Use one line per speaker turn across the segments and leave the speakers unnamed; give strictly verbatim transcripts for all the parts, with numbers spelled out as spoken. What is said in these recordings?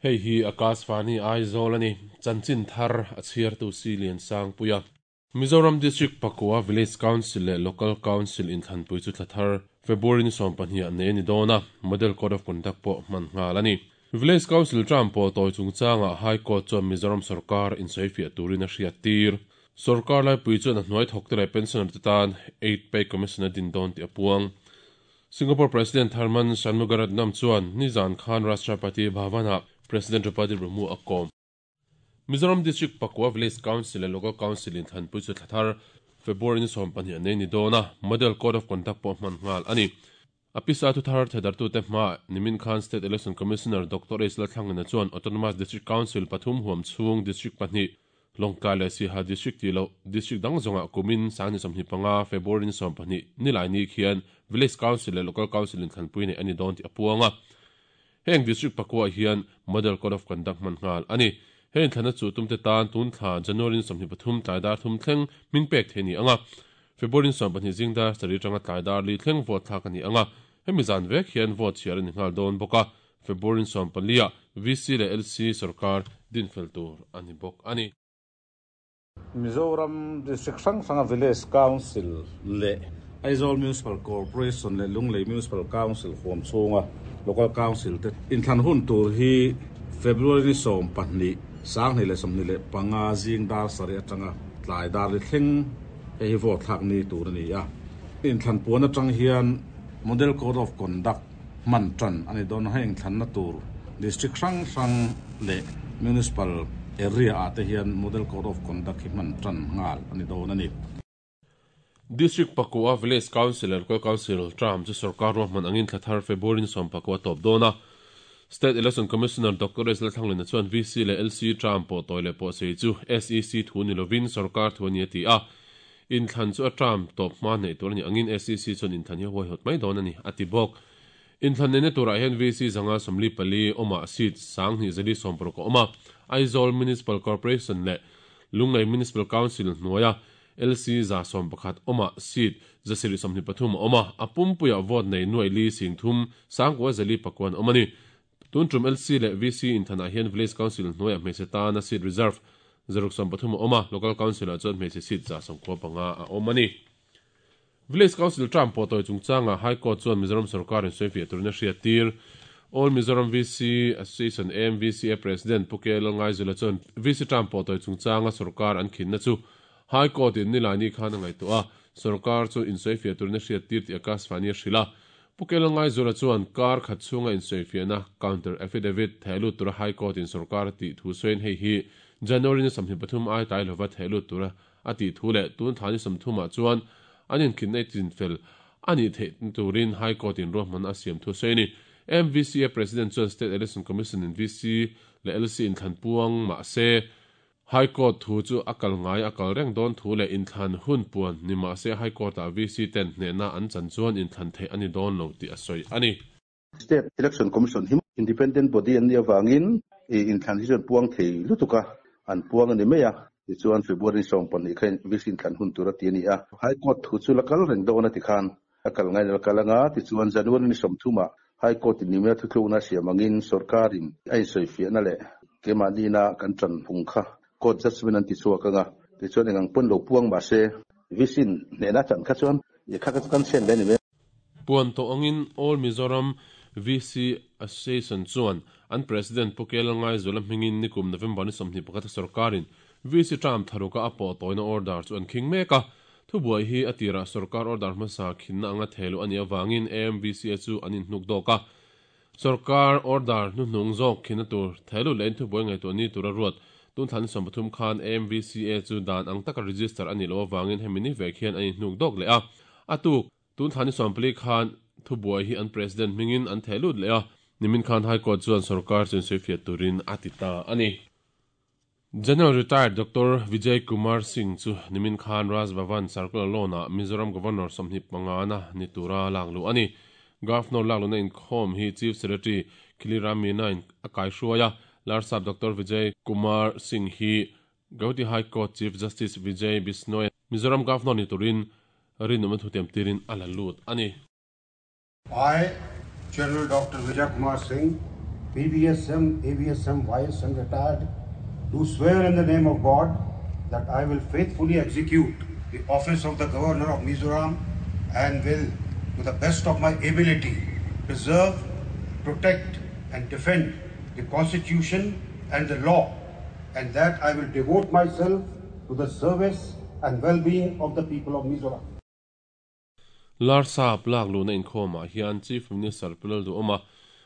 Hei hi Akashvani Aizawl ani chanchin thar a chhiartu si lian sang puia Mizoram District Pakua Village Council le Local Council in thlanpui chu thlathar February ni sawm pahnih ah nei ani dawn a Model Code of Conduct pawh hman nghal ani Village Council term pawh tawi chungchanga High Court chuan Mizoram sarkar in sawifiah turin a hriat tir sarkar laipui chuan a hnuai thawk te leh pensioner te tan eight pay commission a din dawn tih a puang Singapore President Tharman Shanmugaratnam chuan nizan khan Rashtrapati Bhavan-ah President Draupadi Murmu a kawm Mizoram District Pakua Village Council le Local Council in thlanpui chu thlathar February ni sawm pahnih ah nei ni dawn a Model Code of Conduct pawh hman nghal ani a pisa thu thar thedartu te hma nimin khan State Election Commissioner Doctor H Lalthlangena chuan Autonomous District Council pathum huam chhung District pahnih Lawngtlai leh Siaha District tih loh District dang zawngah kumin sang ni sawmhnih panga February ni sawm pahnih ni lai ni khian Village Council leh Local Council in thlanpui nei ani dawn tih a puang a heng District pakua hian Model Code of Conduct hman nghal ani heng thlana chu tumte tan tun thla January ni sawmhnih pathum tlai dar thum thleng min pek thei ni anga February ni sawm pahnih zingdar sarih tanga tlai dar li thleng vote thlak ani anga hemi zan vek hian vote chhiar ani nghal dawn bawk a February ni sawm pali ah V C leh L C sarkar din fel tur ani bawk ani
Mizoram District hrang hranga Village Council leh Aizawl Municipal Corporation leh Lunglei Municipal Council huam chhunga Local Council te inthlan hun tur hi February ni sawm pahnih sanghnih leh sawmhnih leh panga zing dar sarih atanga tlai dar li thleng hei hi vote thlak ni tur ani a inthlan puan atang hian Model Code of Conduct hman tan ani dawn hei inthlanna tur District hrang hrang leh Municipal area ah te hian Model Code of Conduct hi hman tan nghal ani dawn ani
District Pakua Village Council leh Local Council term chu sarkar ruahman angin thlathar February ni sawm pakua tawp dawn a State Election Commissioner Doctor S Lalthanglena chuan V C leh L C term pawh tawi leh pawh sei chu S E C thu ni lovin sarkar thu ani a ti a inthlan chu a term tawp hma nei tur ani angin S E C chuan inthlan hi huai hawt mai dawn ani a ti bawk inthlan neihna turah hian V C zanga sawmli pali awma seat sanghnih zali sawm paruk a awm a Aizawl Municipal Corporation leh Lunglei Municipal Council hnuaia L C za sawm pakhat awma seat zasirih sawmhnih pathum a awm a a pumpuiah vote nei nuai li sing thum sangkua zali pakuan awm ani tun tum L C leh V C inthanah hian Village Council hnuaiah hmeichhe tana seat reserve zaruk sawm pathum a awm a Local Council ah chuan hmeichhe seat za sawmkua panga a awm ani Village Council term pawh tawi chungchanga High Court chuan Mizoram sarkar in sawifiah turin a hriat tir All Mizoram V C Association A M V C A President Puke Lalngaizula chuan V C term pawh tawi chungchanga sarkar an khinna chu High Court in nilai ni khan a ngaihtuah a sarkar chu in sawifiah turin a hriat tir tih Akashvani a hrilh a Puke Lalngaizula chuan kar khat chhunga in sawifiahna counter affidavit thehlut tura High Court in sarkar tih thu sawiin hei hi January ni sawmhnih pathum ai tlai lova thehlut tura a tih thu leh tun thla ni sawmthumah chuan an inkhinna i chinfel ani theih turin High Court in ruahman a siam thu sawi ani M V C A President chuan State Election Commission in V C leh L C inthlan puang mah se High Court thu chu a kal ngai a kal reng dawn thu leh inthlan hun puan ni mah se High Court ah V C ten hnehna an chan chuan inthlan theih ani dawn lo tih a sawi ani
State Election Commission hi independent body an ni awangin inthlan hi chuan puang thei lutuka an puang ani mai a ti chuan February sawm pahnih khan V C inthlan hun tur a ti ani a High Court thu chu la kal reng dawn a ti khan a kal ngai la kal anga ti chuan January ni sawmthumah High Court in nimia thuthlukna siam angin sarkarin a insawifiahna leh kemahni na kan tan phung kha court judgment an ti chhuak anga ti chuan engang pawn lo puang mah se V C in hnehna chan kha chuan i kha kan chen le ni me
puan to angin All Mizoram V C Association chuan an President Puke Lalngaizula hmingin nikum November ni sawmhnih pakhat sarkarin V C term tharuka a pawh tawina order chu an khing mek a thu buai hi a tirah sarkar order hmasa khinna anga theilu ani awangin A M V C A chu an inhnuk dawk a sarkar order hnuhnung zawk khinna tur theilu leh in thu buai ngaihtuah ni tura ruat tun thlan sawm pathum khan A M V C A chu dan ang taka register ani lo awangin hemi ni vek hian an inhnuk dawk leh a a tuk tun thlan ni sawm pali khan thu buai hi an president hmingin an theilut leh a nimin khan High Court chuan sarkar chuan sawifiah turin a ti ta ani General Retired Doctor Vijay Kumar Singh chu nimin khan Raj Bhavan Circular Lawn ah Mizoram Governor sawmhnih panga na ni tura laklu ani Governor laklu na inkhawm hi Chief Secretary Khiliram Meena in a kai hruaia Larsap Doctor Vijay Kumar Singh hi Gauhati High Court Chief Justice Vijay Bishnoi Mizoram Governor ni turin rinawm thu tiam tirin a la lut ani
I, General Doctor Vijay Kumar Singh, P V S M, A V S M, Y S M retired, do swear in the name of God that I will faithfully execute the office of the Governor of Mizoram and will, to the best of my ability, preserve, protect and defend the Constitution and the law, and that I will devote myself to the service and well-being of the people of Mizoram.
Larsa plak luna inkhawmah hian Chief Minister Pulal Duhoma,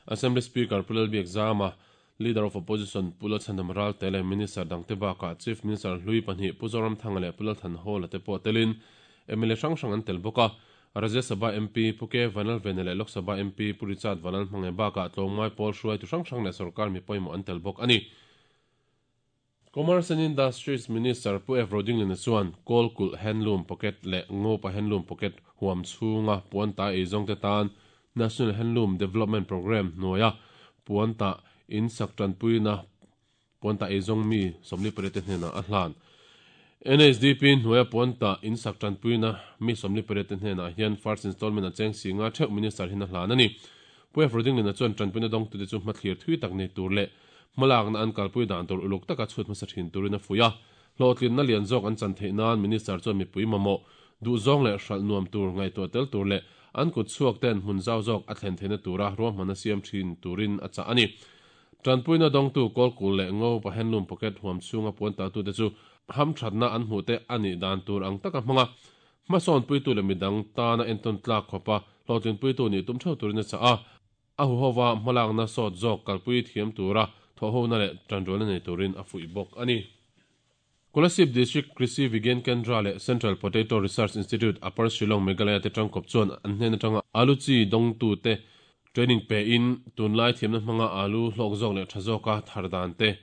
Assembly Speaker Pulal Biakzama, Leader of Opposition Pulal Chhandam Ralte leh Minister dangte bakah Chief Minister Hlui pahnih Pu Zoramthanga leh Pulal Thanhawla te pawh telin M L A hrang hrang an tel bawk a. Rajya Sabha M P Pu K Vanal Vene leh Lok Sabha M P Pu Richard Vanal hmange bakah tlawmngai pawl hruai tu hrang hrang leh sarkar mi pawimawh an tel bawk ani. Commerce and Industries Minister Pu F Rodinglin chuan Kawlkulh Handloom Pocket leh Ngopa Handloom Pocket huam chhunga puanta eizawng te tan National Handloom Development Program hnuaia puanta in sak tanpuina puanta eizawng mi sawmli pariat te hnenah a hlan. N S D P hnuaia puanta in sak tanpuina mi sawmli pariat te hnenah hian first installment a cheng singa theuh minister hin a hlan ani. Pu F Rodinglin chuan tanpuina dawng tu te chu hmathlir thui tak nei tur leh malak na an kalpui dan tur uluk taka chhut hmasa thin turin a fuia hlawhtlin na lian zawk an chan theih nan minister chuan mipui mamawh duh zawng leh hralh nuam tur ngaihtuah tel tur leh an kut chhuak ten hmun zau zawk a thlen theihna tura ruahman a siam thin turin a chah ani. Tanpuina dawngtu Kawlkulh leh Ngopa Handloom Pocket huam chhunga puan ta tu te chu ham thatna an hmuh te ani dan tur ang taka hmanga hmasawn puitu leh midang tana entawn tlak khawpa hlawhtlin puitu ni tum theuh turin a chah a. A huhowa hmalak na sawt zawk kalpui thiam tura thawhona leh tanrualna nei turin a fuih bawk ani. Kolasib District Krishi Vigyan Kendra leh Central Potato Research Institute Upper Shillong Meghalaya te tangkawp chuan an hnen atanga alu chi dawngtu te training pe in tunlai thiamna hmanga alu hlawk zawk leh tha zawka thar dan te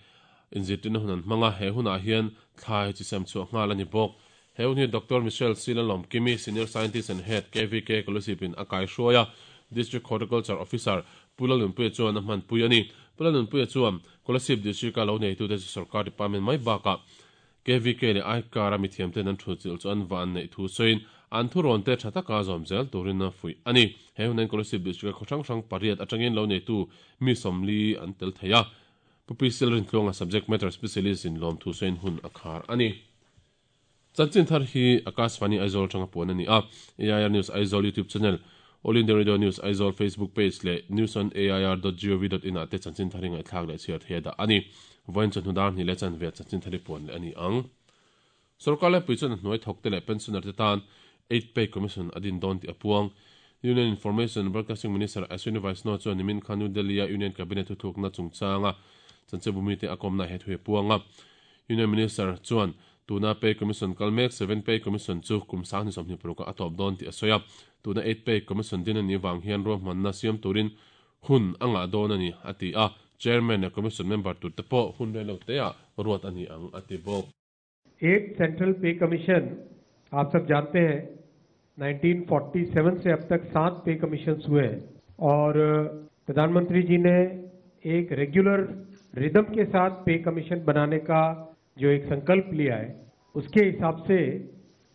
inzirtirna hun an hmanga he hunah hian thlai chi sem chhuah nghal ani bawk. He hun hi Doctor Michelle Silalom Kimi, Senior Scientist and Head K V K Kolasib in a kai hruaia District Horticulture Officer Pulal Nunpuia chuan a hmanpui ani. Pulal Nunpuia chuan Kolasib District a lo neitu te sarkar department mai bakah K V K leh Aikar a mithiam ten an thu chil chu an van nei thu sawiin an thu rawn te tha taka zawm zel turin a fuih ani. He hunan Kolasib District khaw hrang hrang pariat atangin lo neitu mi sawmli an tel thei a. Pu P C Rintluanga subject matter specialist in lawm thu sawiin hun a khar ani. Chanchin thar hi Akashvani Aizawl tanga puan ani a. A I R News Aizawl YouTube channel, All India Radio News Aizawl Facebook page leh news on A I R dot gov dot in ah te chanchin thar hi ngaihthlak leh chhiar thei da ani. Vawiin chuan hnudar hnih leh chan ve chanchin thar hi puan leh ani ang. Sarkar lai pui chuan a hnuai thawk te leh pensioner te tan eight pay commission adin dawn tih a puang. Union Information Broadcasting Minister Ashwini Vaishnaw chuan nimin khan New Delhi a Union Cabinet thuthukna chungchanga chanchebumi te a kawmna he thu puanga. Union Minister chuan tuna pay commission kalmek seven pay commission chu kum sang ni sawmhnih paruk a tawp dawn tih a sawi a. Tuna eight pay commission din ani wang hian ruahmanna siam turin hun anga dawn ani a ti a. Chairman leh commission member tur te pawh hun rei lo te ah ruat ani ang a ti bawk.
Eight Central Pay Commission आप सब जानते हैं nineteen forty seven से अब तक सात पे कमीशन हुए हैं और प्रधानमंत्री जी ने एक रेगुलर रिदम के साथ पे कमीशन बनाने का जो एक संकल्प लिया है उसके हिसाब से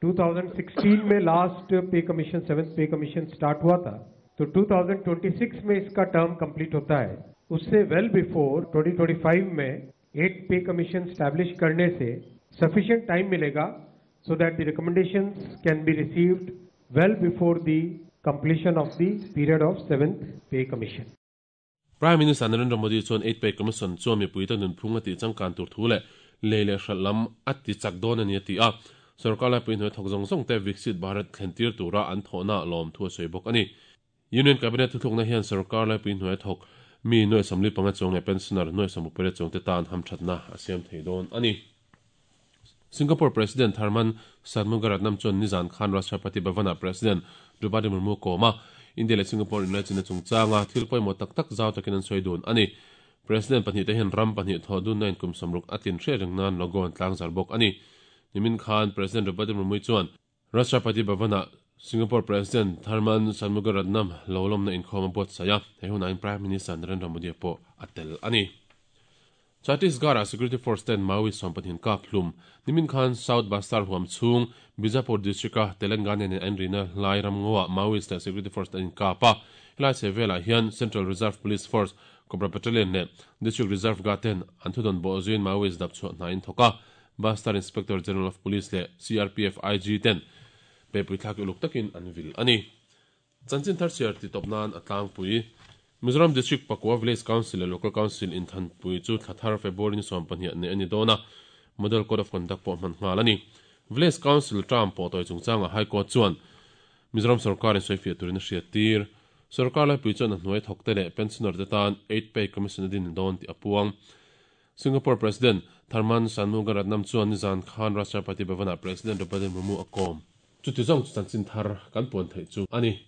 two thousand sixteen में last pay commission seventh pay commission start हुआ था, तो two thousand twenty six में इसका टर्म कंप्लीट होता है। उससे well before twenty twenty five में एट पे कमीशन स्टैब्लिश करने से सफिशिएंट टाइम मिलेगा so that the recommendations can be received well before the completion of the period of seventh pay commission.
Prime Minister Narendra Modi chuan eight pay commission chuan mipui te nunphung a tih changkan tur thu leh lei leh hralh lam a ti chak dawn ani a ti a. Sarkar lai pui hnuai thawk zawng zawng te Viksit Bharat thlen tir tura an thawhna lawm thu a sawi bawk ani. Union Cabinet thuthlukna hian sarkar lai pui hnuai thawk mi nuai sawmli panga chuang leh pensioner nuai sawmruk pariat chuang te tan hamthatna a siam thei dawn ani. Singapore President Tharman Shanmugaratnam chuan Nizan Khan Rashtrapati Bhavana President Draupadi Murmu kawma India leh Singapore inlaichina chungchanga thil pawimawh tak tak zau takin an sawi dun ani. President pahnih te hian ram pahnih thaw dun na in kum sawmruk a tlin hriat reng nan logo an tlang zar bawk ani. Nimin Khan President Draupadi Murmu chuan Rashtrapati Bhavana Singapore President Tharman Shanmugaratnam lolom na inkhawm a buat saya he hunain Prime Minister Narendra Modi pawh a tel ani. Chhattisgarh Security Force ten Maoist sawmpahnih kap hlum nimin khan South Bastar huam chung Bijapur district a Telangana nen an rina lai ramngawa Maoist leh Security Force ten kapa helai chhehvelah hian Central Reserve Police Force Cobra Battalion leh District Reserve Guard ten an thudon bawh zuiin Maoist dap chhuah hna in thawk a Bastar Inspector General of Police leh C R P F I G ten pepui thlak uluk takin an vil ani. Chanchin thar chhiar ti tawp nan a tlangpui. Mizoram District pakua Village Council leh Local Council inthanpui chu thlathar February ni sawm pahnih ne ani dawn a, Model Code of Conduct pawh hman nghal ani. Village Council term pawh tawi chungchanga High Court chuan Mizoram sarkar in sawifiah turin a hriat tir. Sarkar laipui chuan a hnuai thawk te leh pensioner te tan eight pay commission a din dawn tih a puang. Singapore President Tharman Shanmugaratnam chuan nizan khan Rashtrapati Bhavana President Draupadi Murmu a kawm. Chuti zawng chu chanchin thar kan puan theih chu ani.